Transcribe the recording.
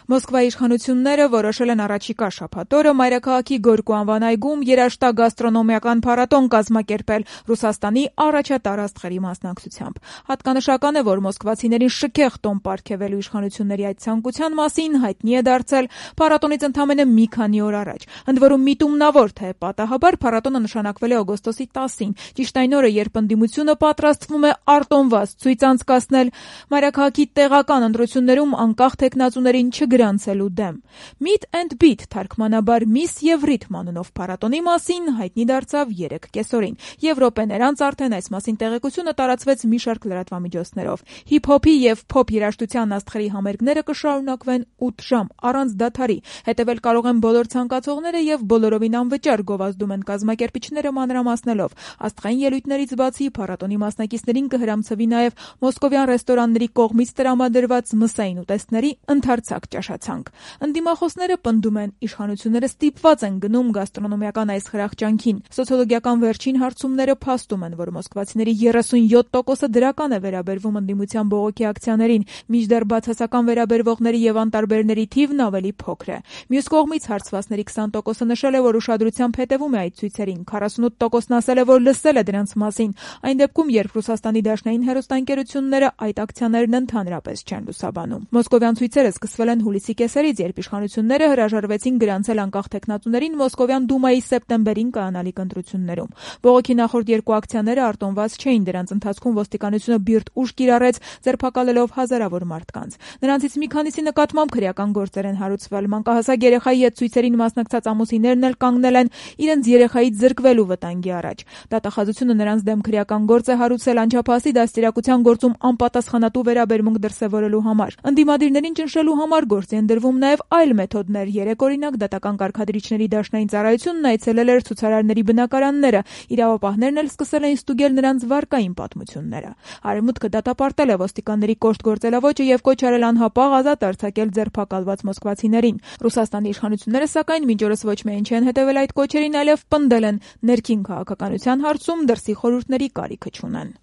Մոսկվայի իշխանությունները որոշել են առաջիկա շաբաթ օրը մայրաքաղաքի Գորկու անվան այգում երաշտա գաստրոնոմիական փառատոն կազմակերպել Ռուսաստանի առաջատար աստղերի մասնակցությամբ։ Հատկանշական է, որ մոսկվացիներին շքեղ տոն պարգևելու իշխանությունների այդ ցանկության մասին հայտնի է դարձել փառատոնից ընդամենը մի քանի օր առաջ։ Ընդ որում միտումնավոր թե պատահաբար փառատոնը նշանակվել է օգոստոսի 10-ին, ճիշտ այն օրը, երբ ընդդիմությունը պատրաստվում է արտոնված ցույց անցկացնել մայրաքաղաքի տեղական ընտրություններում անկախ թեկնածուներին չգրանցելու դեմ։ Meet and Beat թարգմանաբար Miss եւ Rhythm անունով փառատոնի մասին հայտնի դարձավ 3 կեսօրին։ Եվրոպեն անց արդեն այս մասին տեղեկությունը տարածվեց մի շարք լրատվամիջոցներով։ Հիփ-հոփի եւ փոփ երաժշտության աստղերի համերգները կշարունակվեն 8 ժամ առանց դադարի։ Հետևել կարող են բոլոր ցանկացողները եւ բոլորովին անվճար գովազդում են կազմակերպիչները մանրամասնելով։ Աստղային ելույթներից բացի փառատոնի մասնակիցներին կհրամցվի նաեւ մոսկովյան ռեստորանների կողմից տրամադրված մսային ուտեստների ընդարձակ ճաշացանկ։ Ընդդիմախոսները պնդում են, իշխանությունները ստիպված են գնում գաստրոնոմիական այս խրախճանքին։ Սոցիոլոգիական վերջին հարցումները փաստում են, որ մոսկվացիների 37%-ը դրական է վերաբերվում ընդդիմության բողոքի ակցիաներին, մինչդեռ բացասական վերաբերվողների եւ անտարբերների թիվն ավելի փոքր է։ Մյուս կողմից հարցվածների 20%-ը նշել է, որ ուշադրությամբ հետևում է այդ ցույցերին, 48%-ն ասել է, որ լսել է դրանց մասին, այն դեպքում, երբ Ռուսաստանի դաշնային հեռուստաընկերությունները այդ ակցիաներն ընդհանրապես չեն լուսաբանում։ Մոսկովյան ցույցերը սկսվել են հուլիսի կեսերից, երբ իշխանությունները հրաժարվեցին գրանցել անկախ թեկնածուներին Մոսկովյան դումայի սեպտեմբերին կայանալիք ընտրություններում։ Բողոքի նախորդ 2 ակցիաները արտոնված չէին, դրանց ընթացքում ոստիկանությունը բիրտ ուժ կիրառեց, ձերբակալելով հազարավոր մարդկանց։ Նրանցից մի քանիսի նկատմամբ քրեական գործեր են հարուցվել։ Մանկահասակ երեխայի հետ ցույցերին մասնակցած ամուսիններն էլ կանգնել են իրենց երեխայից զրկվելու վտանգի առաջ։ Դատախազությունը նրանց դեմ քրեական գործ է հարուցել անչափահասի դաստիարակության գործում անպատասխանատու վերաբերմունք դրսևորելու համար։ Ընդդիմադիրներին ճնշելու համար գործի են դրվում նաև այլ մեթոդներ։ Երեք օրինակ դատական կարգադրիչների դաշնային ծառայությունն այցելել էր ցուցարարների բնակարանները, իրավապահներն էլ սկսել էին ստուգել նրանց վարկային պատմությունները։ Արևմուտքը դատապարտել է ոստիկանների կոշտ գործելավոճը եւ կոչ արել անհապաղ ազատ արձակել ձերբակալված մոսկվացիներին։ Ռուսաստանի իշխանությունները սակայն մինչ օրս ոչ միայն չեն հետևել այդ կոչերին, այլև պնդել են ներքին քաղաքականության հարցում դրսի խորհուրդների կարիքը չունեն։